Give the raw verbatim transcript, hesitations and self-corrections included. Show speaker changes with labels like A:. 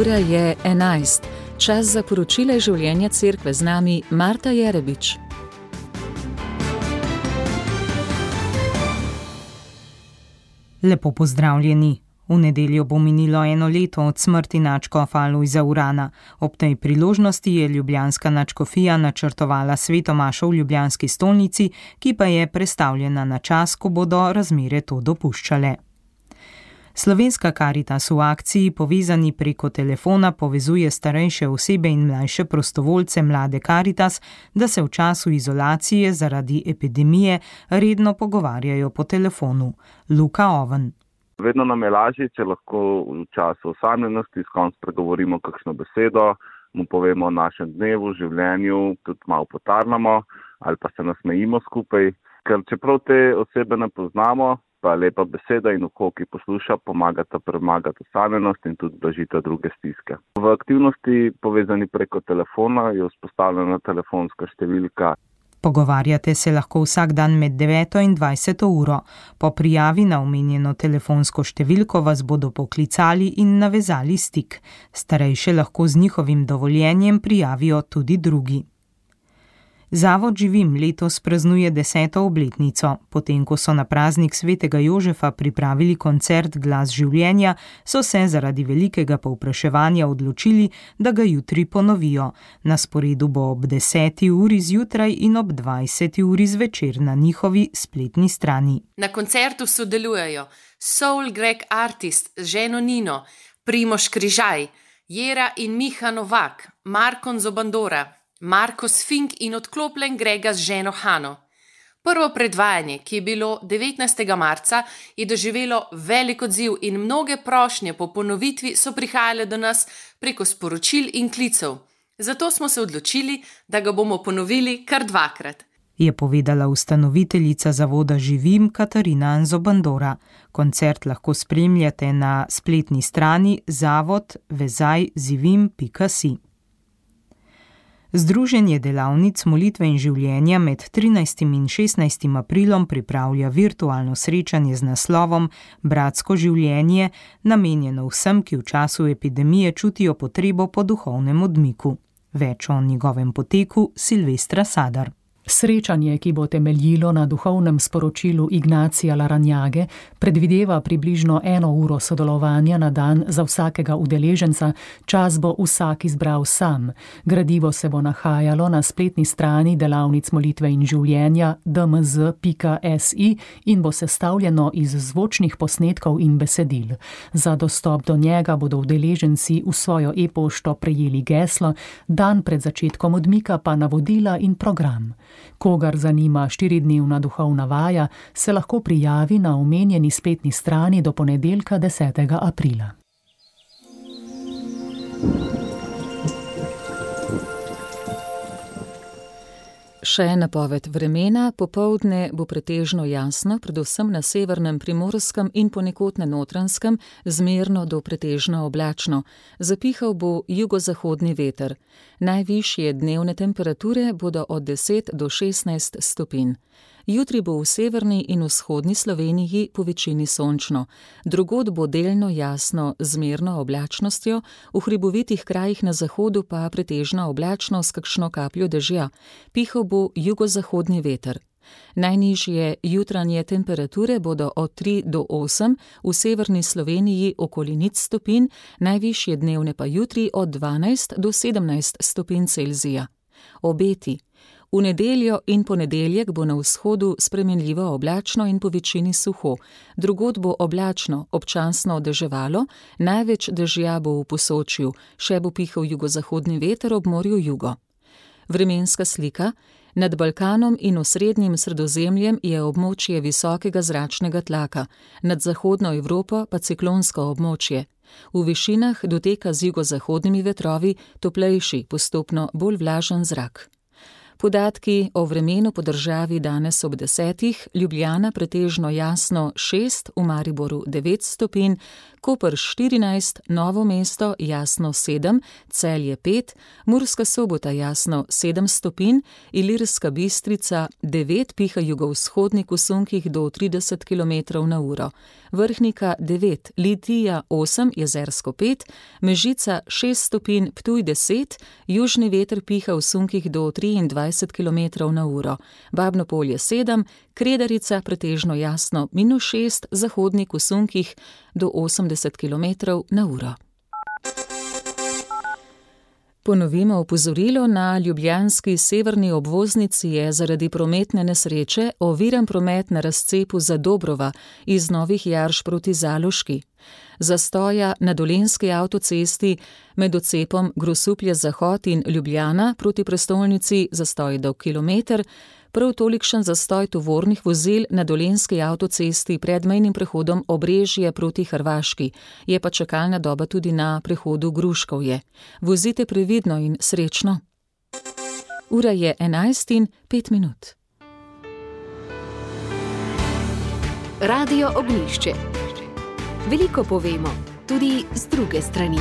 A: Ura je enajst. Čas za poročila življenja cerkve, z nami Marta Jerebič.
B: Lepo pozdravljeni. V nedeljo bo minilo eno leto od smrti nadškofa Alojza Urana. Ob tej priložnosti je ljubljanska nadškofija načrtovala sveto mašo v ljubljanski stolnici, ki pa je prestavljena na čas, ko bodo razmere to dopuščale. Slovenska Karitas v akciji Povezani preko telefona povezuje starejše osebe in mlajše prostovoljce mlade Karitas, da se v času izolacije zaradi epidemije redno pogovarjajo po telefonu. Luka Oven.
C: Vedno nam je lažje, če lahko v času osamljenosti s kom spregovorimo kakšno besedo, mu povemo o našem dnevu, življenju, tudi malo potarnamo ali pa se nasmejimo skupaj. Ker čeprav te osebe ne poznamo, pa lepa beseda in uho, ki posluša, pomagata premagati osamljenost in tudi blažita druge stiske. V aktivnosti Povezani preko telefona je vzpostavljena telefonska številka.
B: Pogovarjate se lahko vsak dan med deveto in dvajseto uro. Po prijavi na omenjeno telefonsko številko vas bodo poklicali in navezali stik. Starejše lahko z njihovim dovoljenjem prijavijo tudi drugi. Zavod Živim letos praznuje deseto obletnico. Potem, ko so na praznik svetega Jožefa pripravili koncert Glas življenja, so se zaradi velikega povpraševanja odločili, da ga jutri ponovijo. Na sporedu bo ob deseti uri zjutraj in ob dvajseti uri zvečer na njihovi spletni strani.
D: Na koncertu sodelujejo Soul Greg Artist z ženo Nino, Primož Križaj, Jera in Miha Novak, Markon Zobandora, Marko Sfink in odklopljen Grega z ženo Hano. Prvo predvajanje, ki je bilo devetnajstega marca, je doživelo velik odziv in mnoge prošnje po ponovitvi so prihajale do nas preko sporočil in klicev. Zato smo se odločili, da ga bomo ponovili kar dvakrat.
B: Je povedala ustanoviteljica zavoda Živim Katarina Zobandora. Koncert lahko spremljate na spletni strani zavod vezaj zivim pika si. Združenje delavnic molitve in življenja med trinajstim in šestnajstim aprilom pripravlja virtualno srečanje z naslovom Bratsko življenje, namenjeno vsem, ki v času epidemije čutijo potrebo po duhovnem odmiku. Več o njegovem poteku Silvestra Sadar.
E: Srečanje, ki bo temeljilo na duhovnem sporočilu Ignacija Laranjage, predvideva približno eno uro sodelovanja na dan za vsakega udeleženca, čas bo vsak izbral sam. Gradivo se bo nahajalo na spletni strani delavnic molitve in življenja d m z pika s i in bo sestavljeno iz zvočnih posnetkov in besedil. Za dostop do njega bodo udeleženci v svojo e-pošto prejeli geslo, dan pred začetkom odmika pa navodila in program. Kogar zanima štiridnevna duhovna vaja, se lahko prijavi na omenjeni spletni strani do ponedeljka desetega aprila.
A: Še napoved vremena. Popoldne bo pretežno jasno, predvsem na severnem Primorskem in ponekod na Notranjskem, zmerno do pretežno oblačno. Zapihal bo jugozahodni veter. Najvišje dnevne temperature bodo od deset do šestnajst stopinj. Jutri bo v severni in vzhodni Sloveniji po večini sončno. Drugod bo delno jasno z zmerno oblačnostjo, v hribovitih krajih na zahodu pa pretežno oblačno s kakšno kapljo dežja. Pihal bo jugozahodni veter. Najnižje jutranje temperature bodo od tri do osem, v severni Sloveniji okoli nič stopinj, najvišje dnevne pa jutri od dvanajst do sedemnajst stopinj Celzija. Obeti. V nedeljo in ponedeljek bo na vzhodu spremenljivo oblačno in po večini suho. Drugod bo oblačno, občasno deževalo, največ dežja bo v Posočju, še bo pihal jugozahodni veter ob morju jugo. Vremenska slika. Nad Balkanom in osrednjim Sredozemljem je območje visokega zračnega tlaka, nad zahodno Evropo pa ciklonsko območje. V višinah doteka z jugozahodnimi vetrovi toplejši, postopno bolj vlažen zrak. Podatki o vremenu po državi danes ob desetih: Ljubljana pretežno jasno šest, v Mariboru devet stopinj, Koper štirinajst, Novo mesto jasno sedem, Celje pet, Murska Sobota jasno sedem stopinj, Ilirska Bistrica devet, piha jugovzhodnik v sunkih do trideset kilometrov na uro, Vrhnika devet, Litija osem, Jezersko pet, Mežica šest stopinj, Ptuj deset, južni veter piha v sunkih do triindvajset kilometrov na uro, Babno Polje sedem, Kredarica pretežno jasno minus šest, zahodnik v sunkih do osemdeset kilometrov na uro. Ponovimo opozorilo: na ljubljanski severni obvoznici je zaradi prometne nesreče oviran promet na razcepu Zadobrova iz Novih Jarš proti Zaloški. Zastoja na Dolenjski avtocesti med odcepom Grosuplje-Zahod in Ljubljana proti prestolnici zastoj dolg kilometer, prav tolikšen zastoj tovornih vozil na Dolenjski avtocesti pred mejnim prehodom Obrežje proti Hrvaški, je pa čakalna doba tudi na prehodu Gruškovje. Vozite previdno in srečno. Ura je enajst in pet minut.
F: Radio Ognjišče. Veliko povemo, tudi z druge strani.